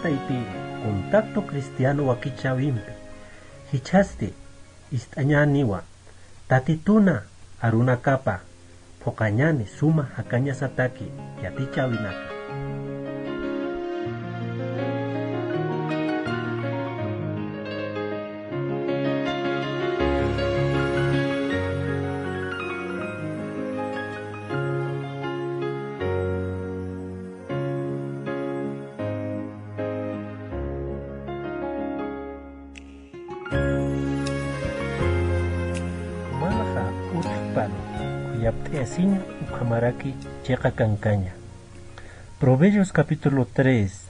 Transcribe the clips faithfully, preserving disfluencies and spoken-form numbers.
Taypiri, Contacto Cristiano wakichäwimpi jichhasti ist'añäniwa, Tatituna arunakapa phuqañäni suma jakañasataki yatichäwinaka. Jumanxa utjpan khuyapt'ayasiña ukhamaraki chiqa kankaña. Proverbios capítulo tres,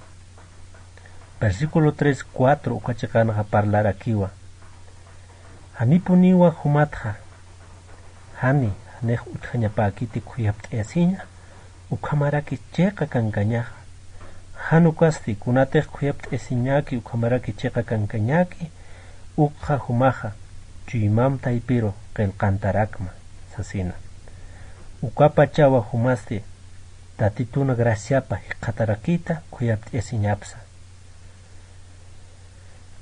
versículo tres, cuatro uka chiqanxa parlarakiwa. Janipuniwa jumatxa, jani, janix utjañapäkiti khuyapt'ayasiña ukhamaraki chiqa kankañaxa. Jan ukasti kunatix khuyapt'ayasiñäki ukhamaraki chiqa kankañäki, ukxa jumaxa chuymam taypiru qillqantarakma sasina. Ukapachawa jumasti Tatitun graciapa jikxatarakita khuyapt'ayasiñapsa.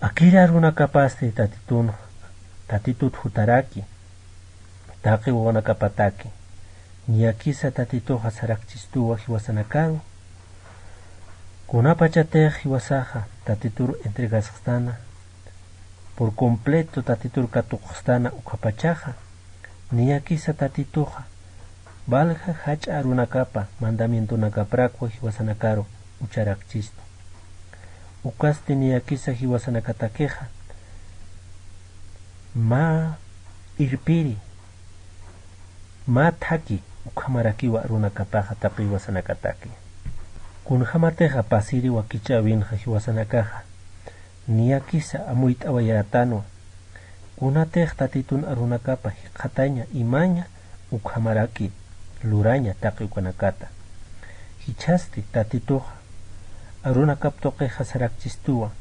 Akiri arunakapasti Tatitun, Tatitut jutaraki, taqi wawanakapataki. Niyakisa Tatituxa sarakchistuwa jiwasanakaru. Kunapachatix jiwasaxa Tatitur entregasxtana, por completo Tatitur katuqxtana ukhapachaxa, niyakisa Tatituxa valja jach'a arunakapa mandamientonakaprakwa jiwasanakaru ucharakchistu. Ukasti niyakisa jiwasanakatakixa mä irpiri, mä thaki ukhamarakiwa arunakapaxa taqi jiwasanakataki. Kunjamatixa pasiri wakichäwinxa jiwasanakaxa niyakisa amuyt'awayätanwa, kunatix Tatitun arunakapa jikxataña imaña ukhamaraki luraña taqi ukanakata. Jichhasti Tatituxa arunakap tuqixa sarakchistuwa,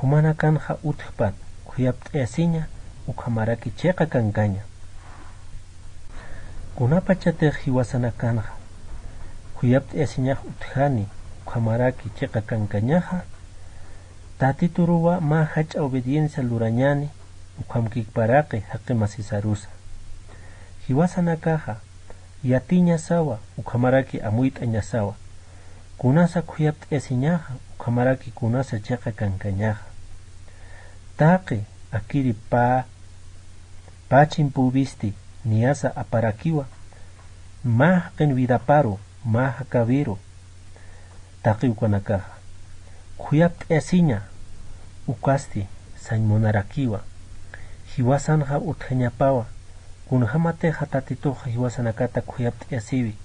jumanakanxa utjpan khuyapt'ayasiña ukhamaraki chiqa kankaña. Kunapachatix jiwasanakanxa khuyapt'ayasiñax utjani ukhamaraki chiqa kankañaxa, Tatituruwa mä jach'a obediencia lurañani ukhamkikparaki jaqi masisarusa. Jiwasanakaxa yatiñasawa ukhamaraki amuyt'añasawa, kunasa khuyapt'ayasiñaxa ukhamaraki kunasa chiqa kankañaxa. Taqi akiri pä, pä chimpüwisti niyasa aparakiwa, mä jaqin vidaparu, mä jakawiru, taqi ukanakaxa khuyapt'ayasiña. Ukasti sañ munarakiwa, jiwasanxa utjañapawa, kunjamatixa Tatituxa jiwasanakata khuyapt'ayasiwi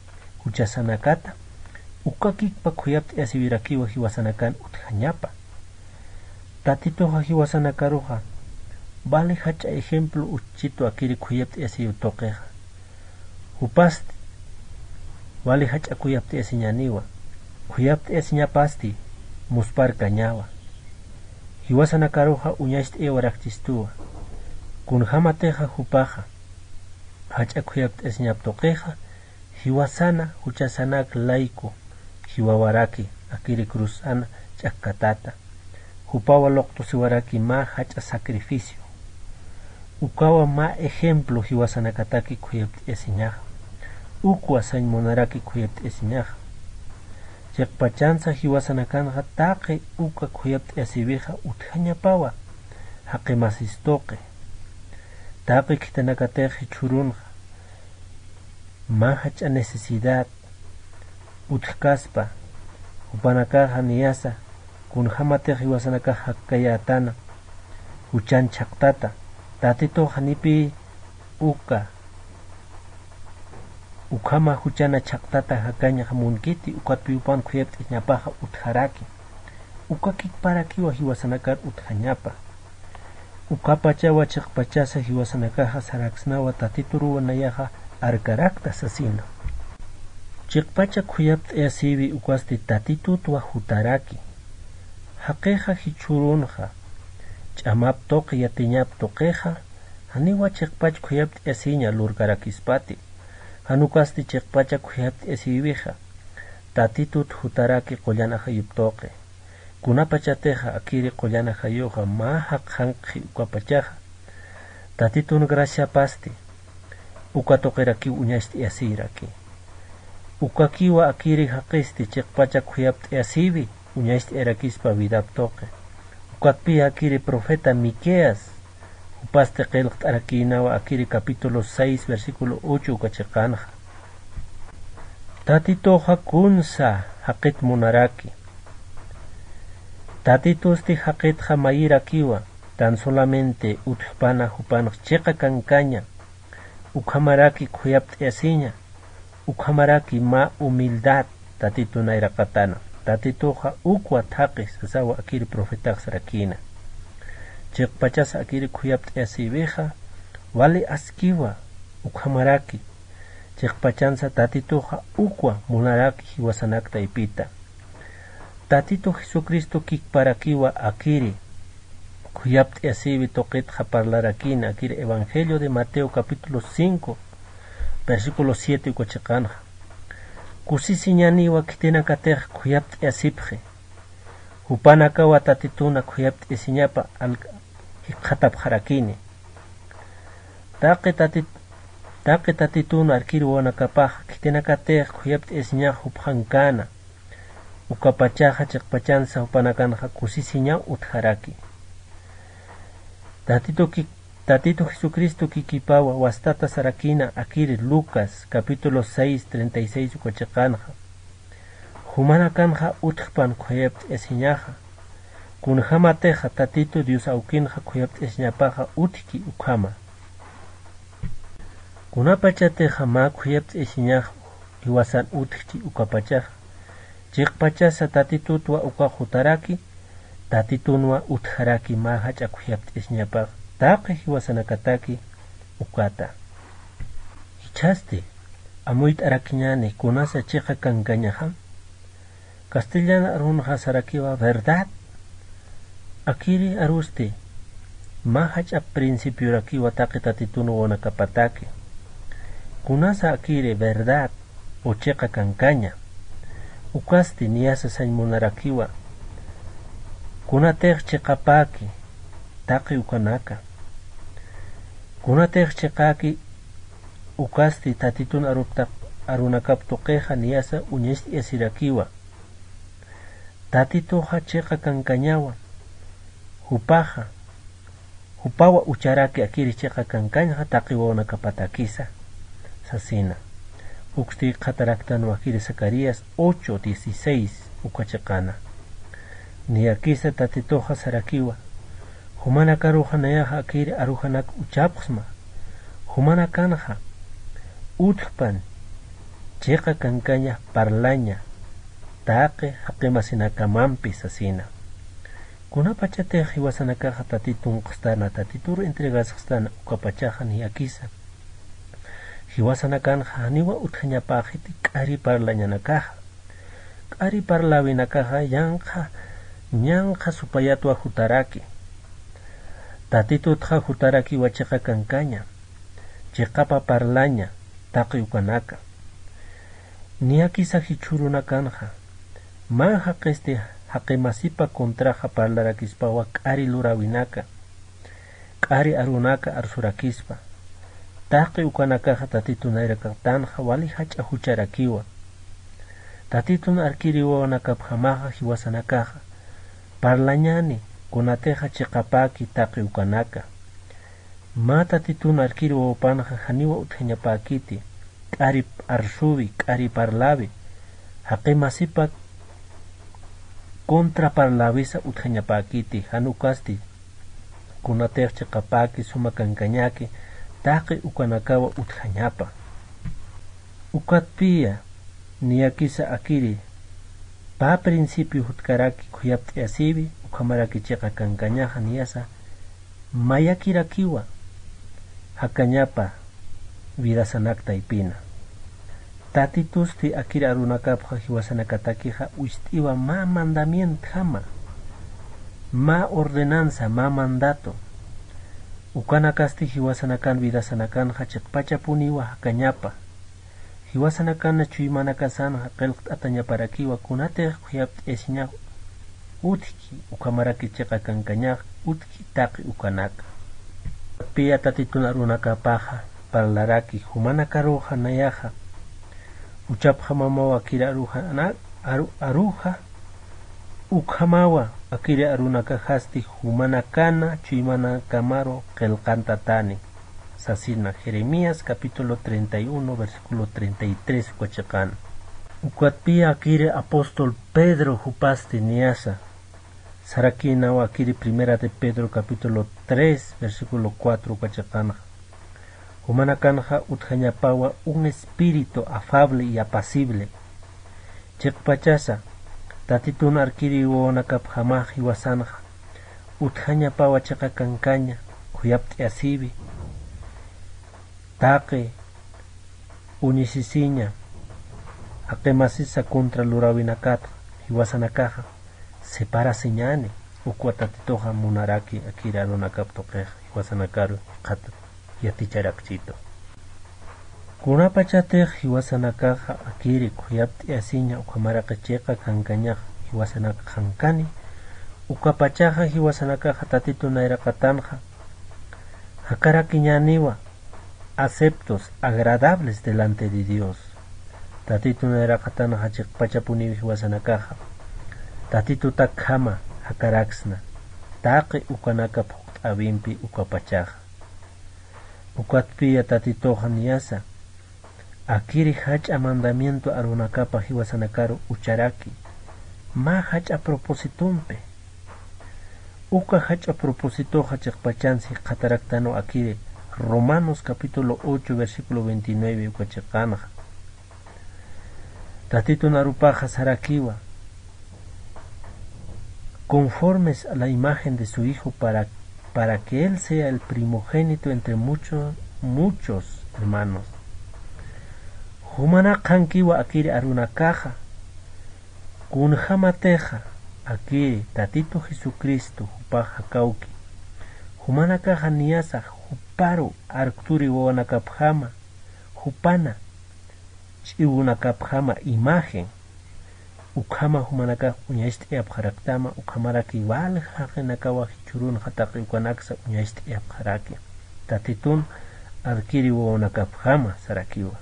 juchasanakata, ukakikpa khuyapt'ayasiwirakiwa jiwasanakan utjañapa. Tatituxa jiwasanakaruxa vali jach'a ejemplo uchchitu akiri khuyapt'ayasiw tuqixa. Jupasti vali jach'a khuyapt'ayasiñaniwa, khuyapt'ayasiñapasti muspharkañawa. Jiwasanakaruxa uñacht'ayawarakchistuwa, kunjamatixa jupaxa jach'a khuyapt'ayasiñap tuqixa, jiwasana juchasanak layku jiwawaraki akiri cruzan ch'akkatata. Jupawa luqtusiwaraki mä jach'a sacrificio. Ukawa mä ejemplo jiwasanakataki khuyapt'ayasiñaxa. Ukwa sañ munaraki khuyapt'ayasiñaxa. Chiqpachansa jiwasanakanxa taqi uka khuyapt'ayasiwixa utjañapawa jaqi masis tuqi. Taqi khitinakatix jichhürunxa mä jach'a necesidad utjkaspa, jupanakaxa niyasa kunjämatix jiwasanakax jakkayätana, juchan chhaqtata, Tatitux janipï uka, ukhama juchana chhaqtata jakañax munkiti, ukatpï jupan khuyapt'asiñapaxa utjaraki. Uka kikparakiwa jiwasanakar utjañapa. Ukapachawa chiqpachasa jiwasanakaxa saraksnawa Tatituruw nayaxa arkarakta sasina. Chiqpacha khuyapt'ayasiwi ukasti Tatitutwa jutaraki. Jaqixa jichhürunxa ch'amap tuqi yatiñap tuqixa, janiwa chiqpach khuyapt'ayasiña lurkarakispati. Jan ukasti chiqpacha khuyapt'ayasiwixa Tatitut jutaraki qullan ajayup tuqi. Kunapachatixa akiri qullan ajayuxa mä jaqxankxi ukapachaxa, Tatitun graciapasti uka tuqirakiw uñacht'ayasiyraki. Ukakiwa akiri jaqisti chiqpacha khuyapt'ayasïwi uñacht'ayarakispa vidap tuqi. Ukatpï akiri profeta Miqueas, jupasti qillqt'arakïnawa akiri capítulo seis, versículo ocho uka chiqanxa. Tatituxa kunsa jaqit munaraki. Tatitusti jaqitxa mayirakiwa, tan solamente utjpana jupanx chiqa kankaña, ukhamaraki khuyapt'ayasiña, ukhamaraki mä humildad Tatitun nayraqatana. Tatituxa ukwa thaqi sasawa akiri profetax sarakïna. Chiqpachasa akiri khuyapt'ayasïwixa, wali askiwa, ukhamaraki. Chiqpachansa Tatituxa ukwa munaraki jiwasanak taypita. Tatitu Jesucristo kikparakiwa akiri khuyapt'ayasïwi tuqitxa parlarakïna akiri Evangelio de Mateo capítulo cinco, versículo siete uka chiqanxa. Kusisiñaniwa khitinakatix khuyapt'ayasipxi. Jupanakawa Tatituna khuyapt'ayasiñapa al-, jikxatapxarakini. Taqi Tatit-, taqi Tatitun arkir wawanakapaxa khitinakatix khuyapt'ayasiñax jupxankana. Ukapachaxa chiqpachansa jupanakanxa kusisiñaw utjaraki. Tatitu ki-, Tatitu Jesucristo kikipawa wastata sarakïna akiri Lucas capítulo seis, treinta y seis uka chiqanxa. Jumanakanxa utjpan khuyapt'ayasiñaxa. Kunjamatixa Tatitu Dios awkinxa khuyapt'ayasiñapaxa utjki ukhama. Kunapachatixa mä khuyapt'ayasiñax jiwasan utjchi ukapachaxa. Chiqpachasa Tatitutwa ukax jutaraki, Tatitunwa utjaraki mä jach'a khuyapt'ayasiñapax taqi jiwasanakataki ukata. Jichhasti, amuyt'arakiñäni kunasa chiqa kankañaxa. Castellan arunxa sarakiwa verdad. Akiri arusti, mä jach'a principiorakiwa taqi Tatitun wawanakapataki. Kunasa akiri verdad o chiqa kankaña. Ukasti niyasa sañ munarakiwa. Kunatix chiqapäki taqi ukanaka. Kunatix chiqäki ukasti Tatitun arupta-, arunakap tuqixa niyasa uñacht'ayasirakiwa. Tatituxa chiqa kankañawa. Jupaxa, jupawa ucharaki akiri chiqa kankañxa taqi wawanakapatakisa, sasina. Uksti jikxataraktanwa akiri Zacarías ocho dieciséis uka chiqana. Niyakisa Tatituxa sarakiwa, jumanakaruxa nayaxa akiri arujanak uchapxsma. Jumanakanxa utjpan chiqa kankaña parlaña taqi jaqimasinakamampi sasina. Kunapachatix jiwasanakaxa Tatitun q'ustana, Tatituru entregasxstana ukapachaxa niyakisa. Jiwasanakanxa janiwa utjañapäxiti k'ari parlañanakaxa. K'ari parläwinakaxa yanqha, ñanqha supayatwa jutaraki. Tatitutxa jutarakiwa chiqa kankaña, chiqapa parlaña, taqi ukanaka. Niyakisa jichhürunakanxa, mä jaqisti jaqimasipa contraxa parlarakispawa k'ari luräwinaka, k'ari arunaka arsurakispa. Taqi ukanakaxa Tatitun nayraqatanxa wali jach'a jucharakiwa. Tatitun arkiri wawanakapjamaxa jiwasanakaxa parlañäni kunatixa chiqapäki taqi ukanaka. Mä Tatitun arkiri wawapanxa janiwa utjañapäkiti, k'ari arsuwi, k'ari parlawi, jaqimasipa contra parläwisa utjañapäkiti, jan ukasti kunatix chiqapäki suma kankañäki taqi ukanakawa utjañapa. Ukatpiya niyakisa akiri pä principio jutkaraki khuyapt'ayasïwi, ukhamaraki chiqa kankañaxa niyasa mayakirakiwa jakañapa vidasanak taypina. Tatitusti akiri arunakapxa jiwasanakatakixa uñacht'iwa mä mandamientjama, mä ordenanza, mä mandato. Ukanakasti jiwasanakan vidasanakanxa chiqpachapuniwa jakañapa. Jiwasanakan chuymanakasanxa qillqt'atañaparakiwa kunatix khuyapt'ayasiñax utjki, ukhamaraki chiqa kankañax utjki taqi ukanaka. Piya Tatitun arunakapaxa parlaraki, jumanakaruxa nayaxa uchapxamawa akiri aruxa, aruxa, ukhamawa akiri arunakaxasti jumanakana chuymanakamaru qillqantatani sasina. Jeremías capítulo treinta y uno, versículo treinta y tres uka chiqan. Ukatpiya akiri apóstol Pedro jupasti niyasa sarakinawa akiri Primera de Pedro capítulo tres, versículo cuatro uka chiqanxa. Jumanakanxa utjañapawa un espíritu afable y apacible. Chiqpachasa, Tatitun arkiri wawanakapjamax jiwasanxa utjañapawa chiqa kankaña, khuyapt'ayasiwi, taqi uñisisiña, jaqimasisa contra luräwinakat jiwasanakaxa separasiñäni. Ukwa Tatituxa munaraki akiri arunakap tuqix jiwasanakaru jikxat yaticharakchitu. Kunapachatix jiwasanakaxa akiri khuyapt'ayasiña ukhamaraki chiqa kankañax jiwasanaka qankani, ukapachaxa jiwasanakaxa Tatitu nayraqatanxa jakarakiñäniwa aceptos, agradables delante de Dios. Tatitu nayraqatanxa chiqpachapuniw jiwasanakaxa Tatitutakjama jakaraksna, taqi ukanaka phuqt'äwimpi ukapachaxa. Ukatpiya Tatituxa niyasa akiri jach'a mandamiento arunakapa jiwasanakaru ucharaki, mä jach'a propósitompi. Uka jach'a propósitoxa chiqpachansi jikxataraktanwa akiri Romanos capítulo ocho, versículo veintinueve uka chiqanxa. Tatitun arupaxa sarakiwa, conformes a la imagen de su Hijo, para, para que Él sea el primogénito entre muchos, muchos hermanos. Jumanakax qhankiwa akiri arunakaxa, kunjamatixa akiri Tatitu Jesucristo jupax jakawki, jumanakaxa niyasa juparu arkturi wawanakapjama, jupana ch'iwunakapjama imagen, ukhama jumanakax uñacht'ayapxaraktama, ukhamaraki walja jaqinakawa jichhürunxa taqi ukanaksa uñacht'ayapxaraki. Tatitun arkiri wawanakapjama sarakiwa.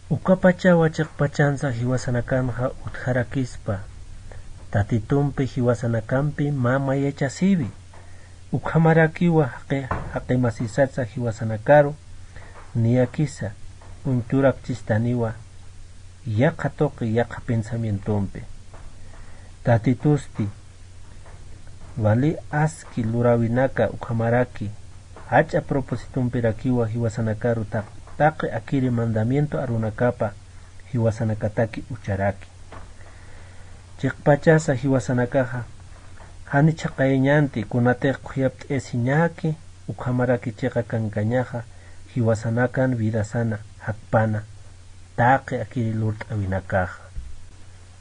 Ukapachawa chiqpachansa jiwasanakanxa utjarakispa, Tatitumpi jiwasanakampi mä mayachasiwi. Ukhamarakiwa jaqi, jaqimasisatsa jiwasanakaru, niyakisa uñturakchistaniwa yaqha tuqi, yaqha pensamientompi. Tatitusti wali aski luräwinaka ukhamaraki jach'a propósitompirakiwa jiwasanakaru taq, taqi akiri mandamiento arunakapa jiwasanakataki ucharaki. Chiqpachasa jiwasanakaxa jani chhaqayañanti, kunatix khuyapt'ayasiñäki ukhamaraki chiqa kankañaxa jiwasanakan vidasana jakpana taqi akiri lurt'äwinakaxa.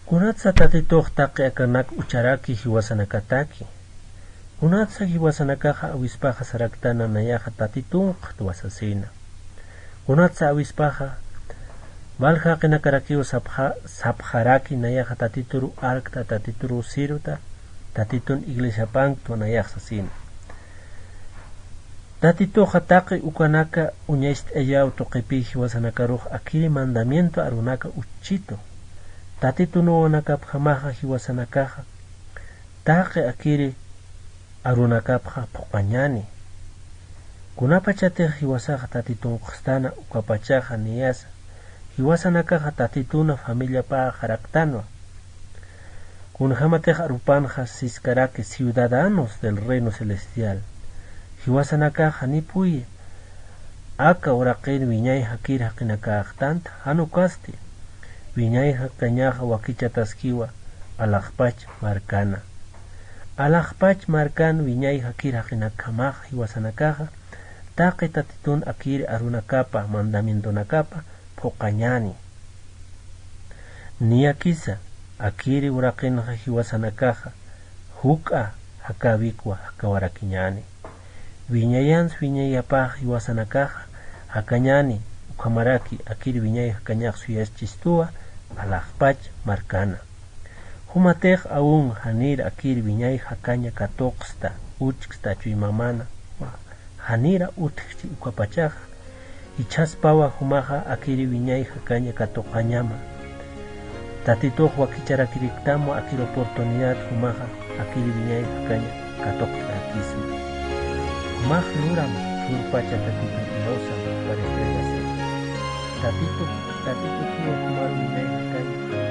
Kunatsa Tatitux taqi akanak ucharaki jiwasanakataki. Kunatsa jiwasanakaxa awispaxa saraktana nayaxa Tatitunkxtwa sasina. Kunatsa awispaxa walja jaqinakarakiw sapxa, sapxaraki nayaxa Tatituru arkta, Tatituru sirvta, Tatitun iglesiapanktwa nayax sasina. Tatituxa taqi ukanaka uñacht'ayaw tuqipi jiwasanakarux akiri mandamiento arunaka uchchitu. Tatitun wawanakapjamaxa jiwasanakaxa taqi akiri arunakapxa phuqañäni. Kunapachatix jiwasaxa Tatitunkxtana ukapachaxa niyasa, jiwasanakaxa Tatituna familiapaxaraktanwa. Kunjämatix arupanxa siskaraki ciudadanos del reino celestial. Jiwasanakaxa janipuyi aka uraqir wiñay jakir jaqinakäxtanta, jan ukasti wiñay jaqinaxa wakichataskiwa alaxpach markana. Alaxpach markan wiñay jakir jaqinakjamaxa jiwasanakaxa taqi Tatitun akir arunakapa mandamientonakapa phuqañäni. Niyakisa akiri uraqinxa jiwasanakaxa juk'a jakäwikwa jakawarakiñäni. Wiñayans wiñayapax jiwasanakaxa jakañäni, ukhamaraki akir wiñay jakañax suyaschistuwa alaxpach markana. Jumatix awun janir akir wiñay jakaña katuqsta, uchksta chuymamana, janira utjchi ukapachaxa, jichhaspawa jumaxa akir wiñay jakaña katuqañama. Tatitux wakicharakiriktamwa akir oportunidad jumaxa akir wiñay jakaña katuqta jakisma. Jumax luram, surpacha Tatitu Diosa, para entregarse. Tatitu, Tatitu, jumar wiñay jakaña